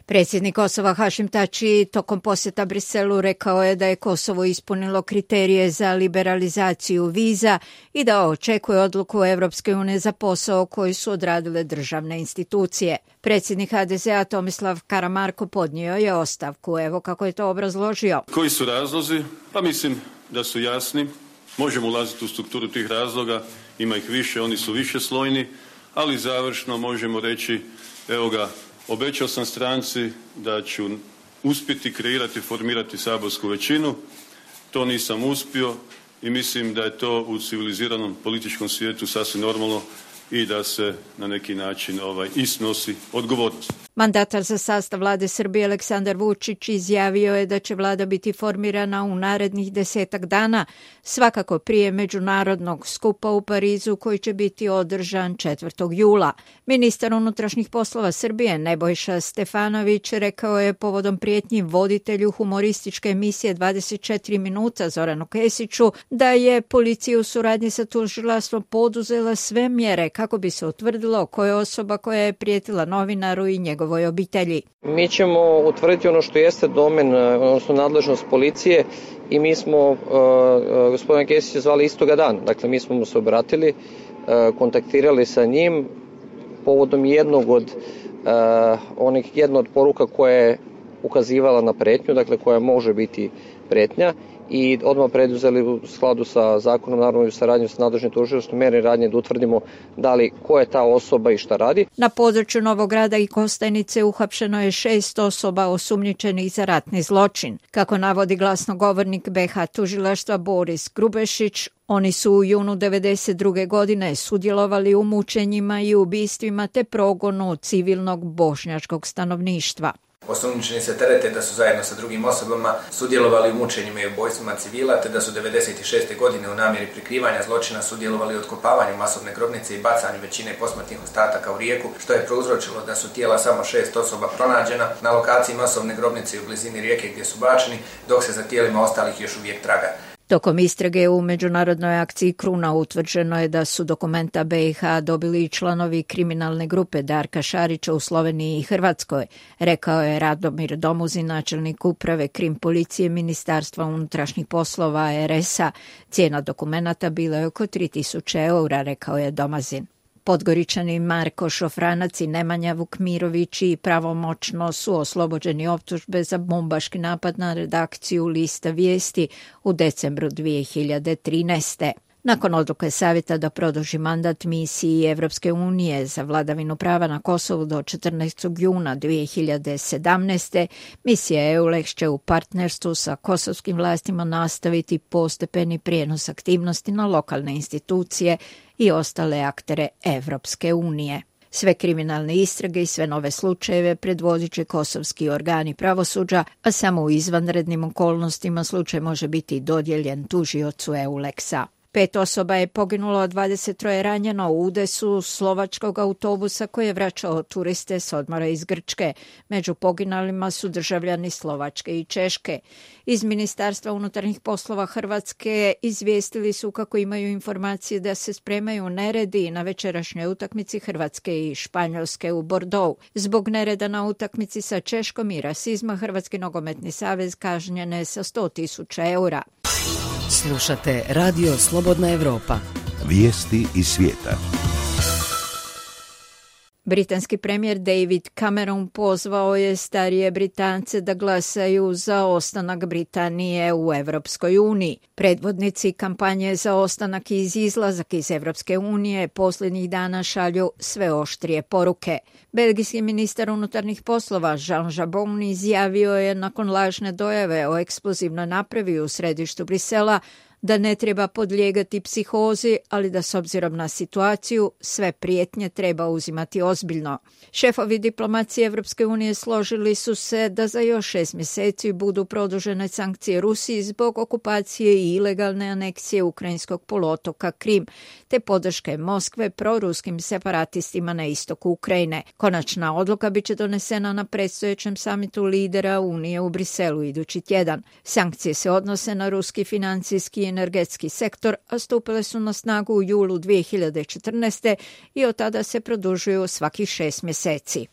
Predsjednik Kosova Hašim Tači tokom posjeta Briselu rekao je da je Kosovo ispunilo kriterije za liberalizaciju viza i da očekuje odluku Evropske unije za posao koji su odradile državne institucije. Predsjednik HDZ-a Tomislav Karamarko podnio je ostavku. Evo kako je to obrazložio. Koji su razlozi? Pa mislim da su jasni. Možemo ulaziti u strukturu tih razloga, ima ih više, oni su višeslojni, ali završno možemo reći, evo ga, obećao sam stranci da ću uspjeti kreirati, formirati saborsku većinu. To nisam uspio i mislim da je to u civiliziranom političkom svijetu sasvim normalno i da se na neki način i snosi odgovornost. Mandatar za sastav vlade Srbije Aleksandar Vučić izjavio je da će vlada biti formirana u narednih 10 dana, svakako prije međunarodnog skupa u Parizu koji će biti održan 4. jula. Ministar unutrašnjih poslova Srbije Nebojša Stefanović rekao je povodom prijetnji voditelju humorističke emisije 24 minuta Zoranu Kesiću da je policija u suradnji sa tužilaštvom poduzela sve mjere kako bi se utvrdilo ko je osoba koja je prijetila novinaru i njegovoj obitelji. Mi ćemo utvrditi ono što jeste domen, odnosno nadležnost policije i mi smo gospodina Kesića zvali istoga dana. Dakle, mi smo mu se obratili, kontaktirali sa njim povodom jedne od poruka koja je ukazivala na pretnju, dakle koja može biti pretnja, i odmah preduzeli u skladu sa zakonom, naravno i u saradnji sa nadležnim tužilaštvom, mere radnje da utvrdimo da li ko je ta osoba i šta radi. Na području Novog Grada i Kostajnice uhapšeno je 6 osoba osumnjičenih za ratni zločin. Kako navodi glasnogovornik BiH tužilaštva Boris Grubešić, oni su u junu 1992. godine sudjelovali u mučenjima i ubistvima te progonu civilnog bošnjačkog stanovništva. Osumnjičeni se terete da su zajedno sa drugim osobama sudjelovali u mučenjima i ubojstvima civila, te da su 1996. godine u namjeri prikrivanja zločina sudjelovali u otkopavanju masovne grobnice i bacanju većine posmrtnih ostataka u rijeku, što je prouzročilo da su tijela samo 6 osoba pronađena na lokaciji masovne grobnice u blizini rijeke gdje su bačeni, dok se za tijelima ostalih još uvijek traga. Tokom istrage u međunarodnoj akciji Kruna utvrđeno je da su dokumenta BiH dobili i članovi kriminalne grupe Darka Šarića u Sloveniji i Hrvatskoj, rekao je Radomir Domuzin, načelnik uprave Krim policije Ministarstva unutrašnjih poslova RS-a. Cijena dokumenata bila je oko 3000 eura, rekao je Domazin. Podgoričani Marko Šofranac i Nemanja Vukmirović i pravomoćno su oslobođeni optužbe za bombaški napad na redakciju Lista vijesti u decembru 2013. Nakon odluke Savjeta da produži mandat misiji Evropske unije za vladavinu prava na Kosovu do 14. juna 2017. misija EULEX će u partnerstvu sa kosovskim vlastima nastaviti postepeni prijenos aktivnosti na lokalne institucije i ostale aktere Evropske unije. Sve kriminalne istrage i sve nove slučajeve predvodit će kosovski organi pravosuđa, a samo u izvanrednim okolnostima slučaj može biti dodijeljen tužiocu EULEX-a. 5 osoba je poginulo, a 23 ranjeno u udesu slovačkog autobusa koji je vraćao turiste s odmora iz Grčke. Među poginulima su državljani Slovačke i Češke. Iz Ministarstva unutarnjih poslova Hrvatske izvijestili su kako imaju informacije da se spremaju neredi na večerašnjoj utakmici Hrvatske i Španjolske u Bordeaux. Zbog nereda na utakmici sa Češkom i rasizma Hrvatski nogometni savez kažnjen je sa 100.000 eura. Slušate Radio Slobodna Evropa. Vijesti iz svijeta. Britanski premijer David Cameron pozvao je starije Britance da glasaju za ostanak Britanije u Evropskoj uniji. Predvodnici kampanje za ostanak i izlazak iz Evropske unije posljednjih dana šalju sve oštrije poruke. Belgijski ministar unutarnjih poslova Jean Jabon izjavio je nakon lažne dojave o eksplozivnoj napravi u središtu Brisela da ne treba podlijegati psihozi, ali da s obzirom na situaciju sve prijetnje treba uzimati ozbiljno. Šefovi diplomacije Evropske unije složili su se da za još 6 mjeseci budu produžene sankcije Rusiji zbog okupacije i ilegalne aneksije ukrajinskog poluotoka Krim, te podrške Moskve proruskim separatistima na istoku Ukrajine. Konačna odluka biće donesena na predstojećem samitu lidera Unije u Briselu idući tjedan. Sankcije se odnose na ruski financijski i energetski sektor, a stupile su na snagu u julu 2014. i od tada se produžuju svakih 6 mjeseci.